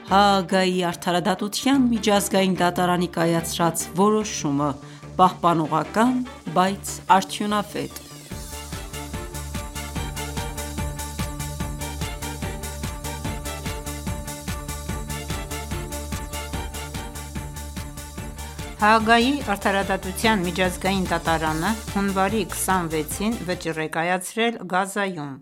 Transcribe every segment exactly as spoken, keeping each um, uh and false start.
Հաագայի արդարադատության միջազգային դատարանի կայացրած որոշումը՝ պահպանողական, բայց արդյունավետ։ Հաագայի արդարադատության միջազգային դատարանը հունվարի քսանվեցին վճիռ է կայացրել Գազայում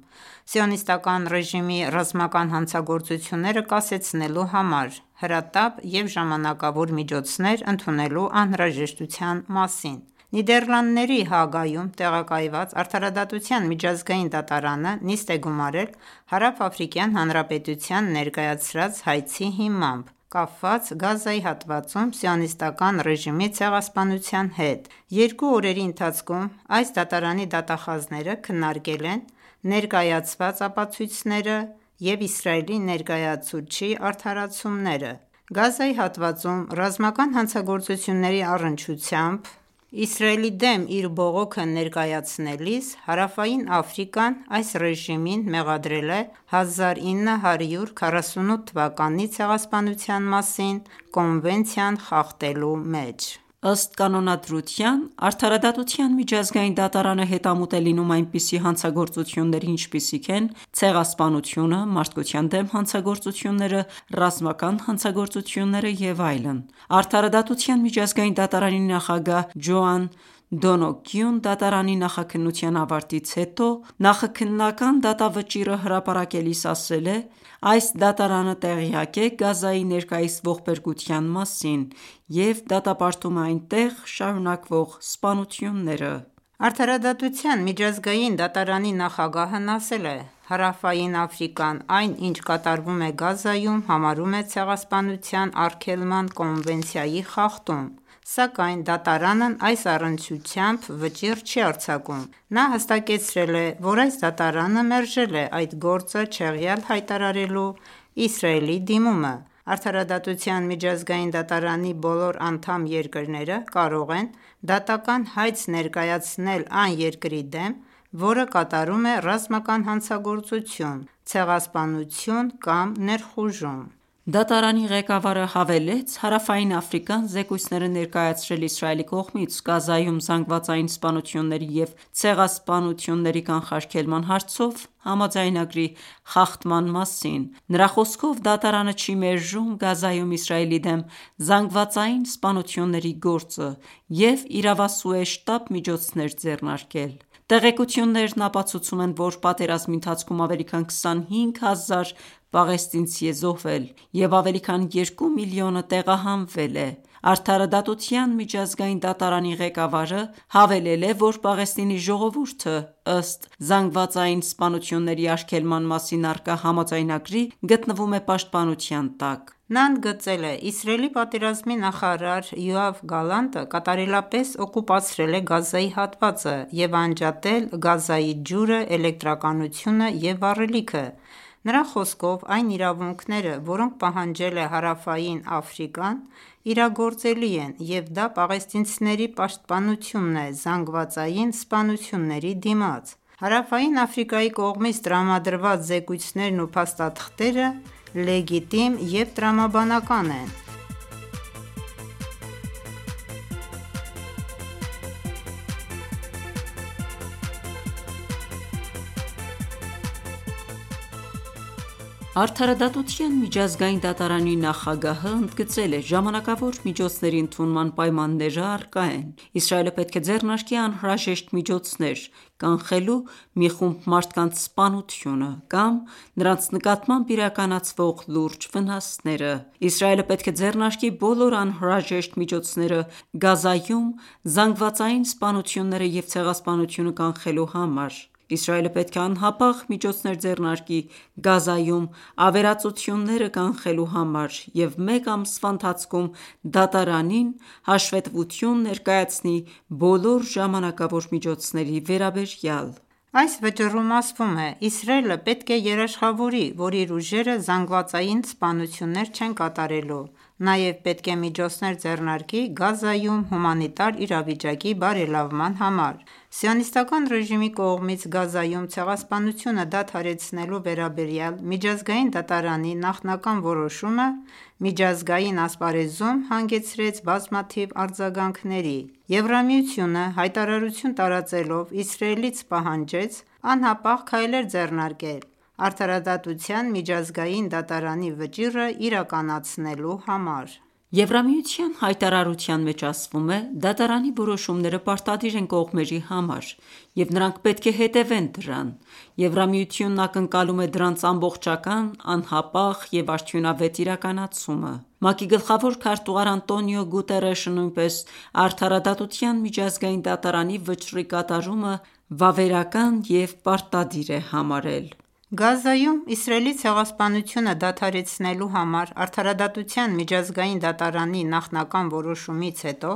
Սիոնիստական ռեժիմի ռազմական հանցագործությունները կասեցնելու համար հրատապ և ժամանակավոր միջոցներ ընդունելու անհրաժեշտության մասին: Նիդերլանդների Հաագայում տեղակայված Արդարադատության միջազգային դատարանը նիստ է գումարել Հարավաֆրիկյան Հանրապետության ներկայացրած հայցի հիմամբ, կապված Գազայի հատվածում Սիոնիստական ռեժիմի ցեղասպանության հետ: Երկու օրերի ընթացքում այս դատարանի դատախազները քննարկել են ներկայացված ապացույցները և Իսրայելի ներկայացուցչի արդարացումները: Գազայի հատվածում ռազմական հանցագործությունների առնչությամբ Իսրայելի դեմ իր բողոքը ներկայացնելիս Հարավային Աֆրիկան այս ռեժիմին մեղադրել է հազար ինը հարյուր քառասունութ թվականի ցեղասպանության մասին կոնվենցիան խախտելու մեջ: Ըստ կանոնադրության, Արդարադատության միջազգային դատարանը հետամուտ է լինում այնպիսի հանցագործությունների, ինչպիսիք են ցեղասպանությունը, մարդկության դեմ հանցագործությունները, ռազմական հանցագործությունները և այլն: Արդարադատության միջազգային դատարանի նախագահ Ջոան Դոնոգյուն դատարանի նախաքննության ավարտից հետո նախաքննական դատավճիռը հրապարակելիս ասել է. «Այս դատարանը տեղյակ է Գազայի ներկայիս ողբերգության մասին և դատապարտում է այնտեղ շարունակվող սպանությունները»: Արդարադատության միջազգային դատարանի նախագահն ասել է. «Հարավային Աֆրիկան այն, ինչ կատարվում է Գազայում, համարում է ցեղասպանության արգելման կոնվենցիայի խախտում, սակայն դատարանն այս առնչությամբ վճիռ չի արձակում»: Նա հստակեցրել է, որ այս դատարանը մերժել է այդ գործը չեղյալ հայտարարելու Իսրայելի դիմումը: Արդարադատության միջազգային դատարանի բոլոր անդամ երկրները կարող են դատական հայց ներկայացնել այն երկրի դեմ, որը կատարում է ռազմական հանցագործություն, ցեղասպանություն կամ ներխուժում: Դատարանի ղեկավարը հավելեց. «Հարավային Աֆրիկան զեկույցներ է ներկայացրել Իսրայելի կողմից Գազայում զանգվածային սպանությունների և ցեղասպանությունների կանխարգելման հարցով համաձայնագրի խախտման մասին: Նրա խոսքով դատարանը չի մերժում Գազայում Իսրայելի դեմ զանգվածային սպանությունների գործը և իրավասու է շտապ միջոցներ ձեռնարկել: Տեղեկություններն ապացուցում են, որ պատերազմի ընթացքում ավելի քան քսանհինգ հազար պաղեստինցի է զոհվել և ավելի քան երկու միլիոնը տեղահանվել է»: Արդարադատության միջազգային դատարանի ղեկավարը հավելել է, որ Պաղեստինի ժողովուրդը, ըստ զանգվածային սպանությունների արգելման մասին առկա համաձայնագրի, գտնվում է պաշտպանության տակ: Նա ընդգծել է. «Իսրայելի պատերազմի նախարար Յոավ Գալանտը կատարելապես օկուպացրել է Գազայի հատվածը և անջատել Գազայի ջուրը, էլեկտրականությունը և վառելիքը: Նրա խոսքով այն իրավունքները, որոնք պահանջել է Հարավային Աֆրիկան, իրագործելի են և դա պաղեստինցիների պաշտպանությունն է զանգվածային սպանությունների դիմաց: Հարավային Աֆրիկայի կողմից տրամադրված զեկույցներն ու փաստաթղթերը լեգիտիմ և տրամաբանական են»: Արդարադատության միջազգային դատարանի նախագահը ընդգծել է. «Ժամանակավոր միջոցների ընդունման պայմանները առկա են: Իսրայելը պետք է ձեռնարկի անհրաժեշտ միջոցներ՝ կանխելու մի խումբ մարդկանց սպանությունը կամ նրանց նկատմամբ իրականացվող լուրջ վնասները: Իսրայելը պետք է ձեռնարկի բոլոր անհրաժեշտ միջոցները Գազայում զանգվածային սպանությունները և ցեղասպանությունը կանխելու համար: Իսրայելը պետք է անհապաղ միջոցներ ձեռնարկի Գազայում ավերածությունները կանխելու համար և մեկ ամսվա ընթացքում դատարանին հաշվետվություն ներկայացնի բոլոր ժամանակավոր միջոցների վերաբերյալ»: Այս վճիռում ասվում է. «Իսրայելը պետք է երաշխավորի, որ իր ուժերը զանգվածային սպանություններ չեն կատարելու, Նաև պետք է միջոցներ ձեռնարկի Գազայում հումանիտար իրավիճակի բարելավման համար: Սիոնիստական ռեժիմի կողմից Գազայում ցեղասպանությունը դադարեցնելու վերաբերյալ միջազգային դատարանի նախնական որոշումը միջազգային ասպարեզում հանգեցրեց բազմաթիվ արձագանքների: Եվրամիությունը հայտարարություն տարածելով Իսրայելից պահանջեց անհապաղ քայլեր ձեռնարկել արդարադատության միջազգային դատարանի վճիռը իրականացնելու համար: Եվրամիության հայտարարության մեջ ասվում է. «Դատարանի որոշումները պարտադիր են կողմերի համար, և նրանք պետք է հետևեն դրան: Եվրամիությունն ակնկալում է դրանց ամբողջական, անհապաղ և արդյունավետ իրականացումը»: ՄԱԿ-ի գլխավոր քարտուղար Անտոնիո Գուտերեշը նույնպես արդարադատության միջազգային դատարանի վճռի կատարումը վավերական և պարտադիր է համարել: Գազայում Իսրայելի ցեղասպանությունը դադարեցնելու համար արդարադատության միջազգային դատարանի նախնական որոշումից հետո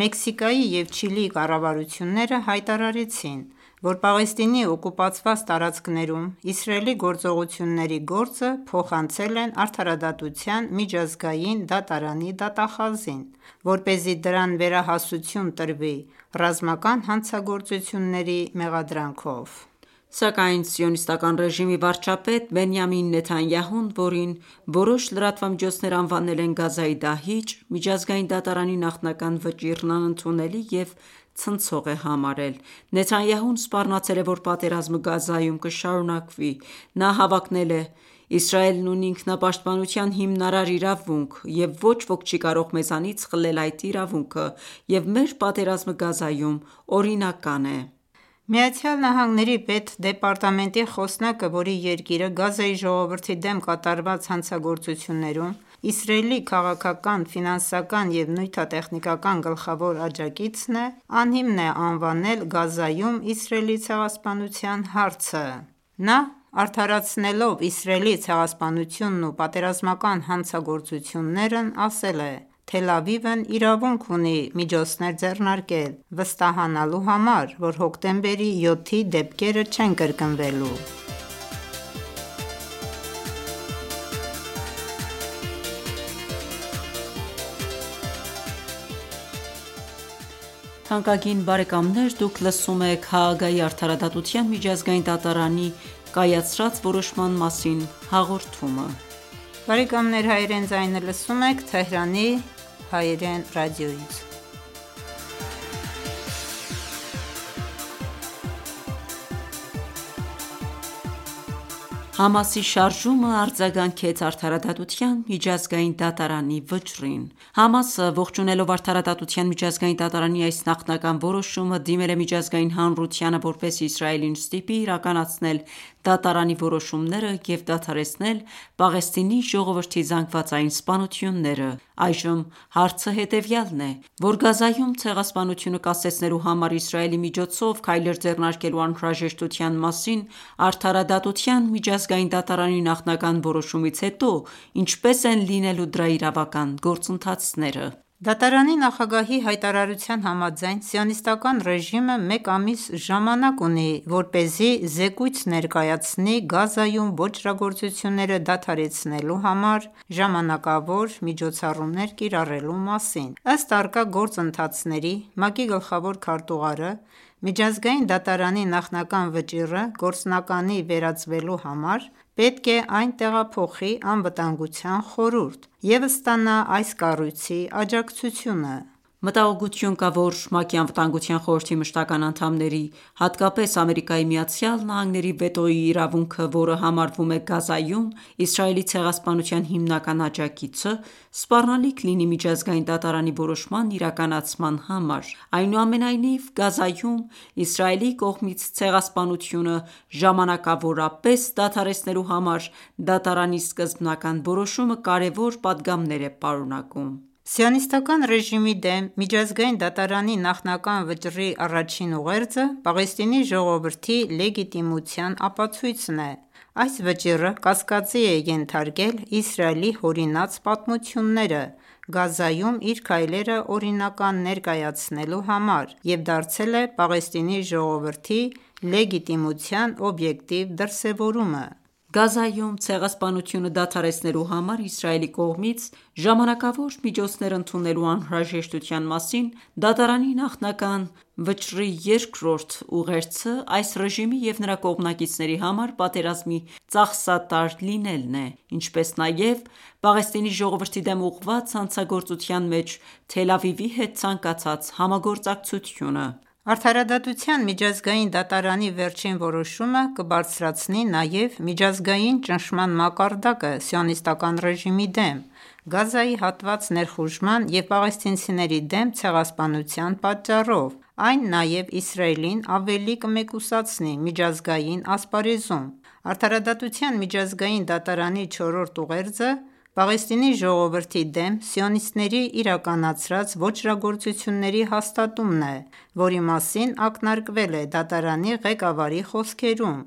Մեքսիկայի և Չիլիի կառավարությունները հայտարարեցին, որ Պաղեստինի օկուպացված տարածքներում Իսրայելի գործողությունների գործը փոխանցել են Արդարադատության միջազգային դատարանի դատախազին, որպեսզի դրան վերահասություն տրվի ռազմական հանցագործությունների մեղադրանքով: Սակայն Սիոնիստական ռեժիմի վարչապետ Բենյամին Նեթանյահուն, որին որոշ լրատվամիջոցներ անվանել են «Գազայի դահիճ», միջազգային դատարանի նախնական վճիռն անընդունելի և ցնցող է համարել: Նեթանյահուն սպառնացել է, որ պատերազմը Գազայում կշարունակվի: Նա հավակնել է. «Իսրայելն ունի ինքնապաշտպանության հիմնարար իրավունք, և ոչ ոք չի կարող մեզանից խլել այդ իրավունքը, և մեր պատերազմը Գազայում օրինական է»: ԱՄՆ պետդեպարտամենտի խոսնակը, որի երկիրը Գազայի ժողովրդի դեմ կատարված հանցագործություններում Իսրայելի քաղաքական, ֆինանսական և նյութատեխնիկական գլխավոր աջակիցն է, անհիմն է անվանել Գազայում Իսրայելի ցեղասպանության հարցը: Նա արդարացնելով Իսրայելի ցեղասպանությունն ու պատերազմական հանցագործություններն ասել է. «Թել Ավիվն իրավունք ունի միջոցներ ձեռնարկել վստահանալու համար, որ հոկտեմբերի յոթի դեպքերը չեն կրկնվելու»: Համասի շարժումը արձագանքեց Արդարադատության միջազգային դատարանի վճռին: ՀԱՄԱՍ-ը, ողջունելով Արդարադատության միջազգային դատարանի այս նախնական որոշումը, դիմել է միջազգային հանրությանը, որպեսզի Իսրայելին ստիպի իրականացնել դատարանի որոշումները և դադարեցնել Պաղեստինի ժողովրդի զանգվածային սպանությունները: Այժմ հարցը հետևյալն է, որ Գազայում ցեղասպանությունը կասեցնելու համար Իսրայելի միջոցով քայլեր ձեռնարկելու անհրաժեշտության մասին Արդարադատության միջազգային դատարանի նախնական որոշումից հետո ինչպե՞ս են լինելու դրա իրավական գործընթացները: Դատարանի նախագահի հայտարարության համաձայն, Սիոնիստական ռեժիմը մեկ ամիս ժամանակ ունի, որպեսզի զեկույց ներկայացնի Գազայում ոճրագործությունները դադարեցնելու համար ժամանակավոր միջոցառումներ կիրառելու մասին: Ըստ առկա գործընթացների, ՄԱԿ-ի գլխավոր քարտուղարը միջազգային դատարանի նախնական վճիռը գործնականի վերածվելու համար պետք է այն տեղափոխի Անվտանգության խորհուրդ և ստանա այս կառույցի աջակցությունը: Մտահոգություն կա, որ ՄԱԿ-ի Անվտանգության խորհրդի մշտական անդամների, հատկապես ԱՄՆ-ի վետոյի իրավունքը, որը համարվում է Գազայում Իսրայելի ցեղասպանության հիմնական աջակիցը, սպառնալիք լինի միջազգային դատարանի որոշման իրականացման համար: Այնուամենայնիվ, Գազայում Իսրայելի կողմից ցեղասպանությունը ժամանակավորապես դադարեցնելու համար դատարանի սկզբնական որոշումը կարևոր պատգամներ է պարունակում: Սիոնիստական ռեժիմի դեմ միջազգային դատարանի նախնական վճռի առաջին ուղերձը Պաղեստինի ժողովրդի լեգիտիմության ապացույցն է: Այս վճիռը կասկածի է ենթարկել Իսրայելի հորինած պատմությունները Գազայում իր քայլերը օրինական ներկայացնելու համար և դարձել է Պաղեստինի ժողովրդի լեգիտիմության օբյեկտիվ դրսևորումը: Գազայում ցեղասպանությունը դադարեցնելու համար Իսրայելի կողմից ժամանակավոր միջոցներ ընդունելու անհրաժեշտության մասին դատարանի նախնական վճռի երկրորդ ուղերձը այս ռեժիմի և նրա կողմնակիցների համար պատերազմի ծախսատար լինելն է, ինչպես նաև Պաղեստինի ժողովրդի դեմ ուղղված հանցագործության մեջ Թել Ավիվի հետ ցանկացած համագործակցությունը: Արդարադատության միջազգային դատարանի վերջին որոշումը կբարձրացնի նաև միջազգային ճնշման մակարդակը Սիոնիստական ռեժիմի դեմ, Գազայի հատված ներխուժման և պաղեստինցիների դեմ ցեղասպանության պատճառով: Այն նաև Իսրայելին ավելի կմեկուսացնի միջազգային ասպարեզում: Արդարադատության միջազգային դատարանի չորրորդ ուղերձը Պաղեստինի ժողովրդի դեմ սիոնիստների իրականացրած ոճրագործությունների հաստատումն է, որի մասին ակնարկվել է դատարանի ղեկավարի խոսքերում,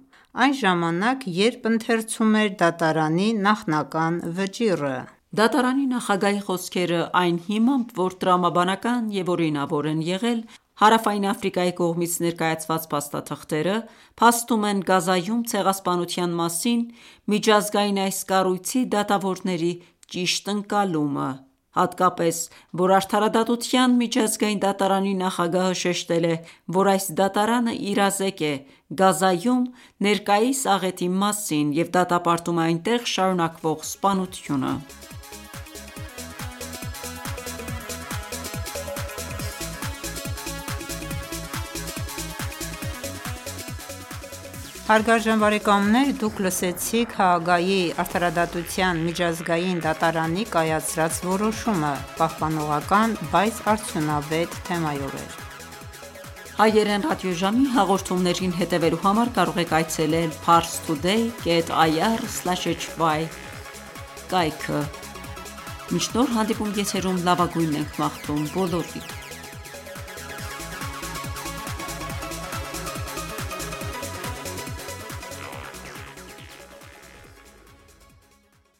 այն ժամանակ, երբ ընթերցում էր դատարանի նախնական վճիռը: Դատարանի նախագահի խոսքերը այն հիմամբ, որ տրամաբանական և օրինավոր են եղել Հարավային Աֆրիկայի կողմից ներկայացված փաստաթղթերը, փաստում են Գազայում ցեղասպանության մասին միջազգային այս կառույցի դատավորների ճիշտ ընկալումը, հատկապես, որ Արդարադատության միջազգային դատարանի նախագահը շեշտել է, որ այս դատարանը իրազեկ է Գազայում ներկայիս աղեթի մասին և դատապարտում է այնտեղ շարունակվող սպանությունը: Հարգարժան բարեկամներ դուք լսեցիք Հաագայի արդարադատության միջազգային դատարանի կայացրած որոշումը, պահպանողական, բայց արդյունավետ թեմայով էր: Հայերեն ռադիոժամի հաղորդումներին հետևելու համար կարող եք այցելել parstoday կետ ir slash hy կայքը: Մինչ նոր հանդիպում եթերում լավագույնն ենք մաղթում բոլորիդ: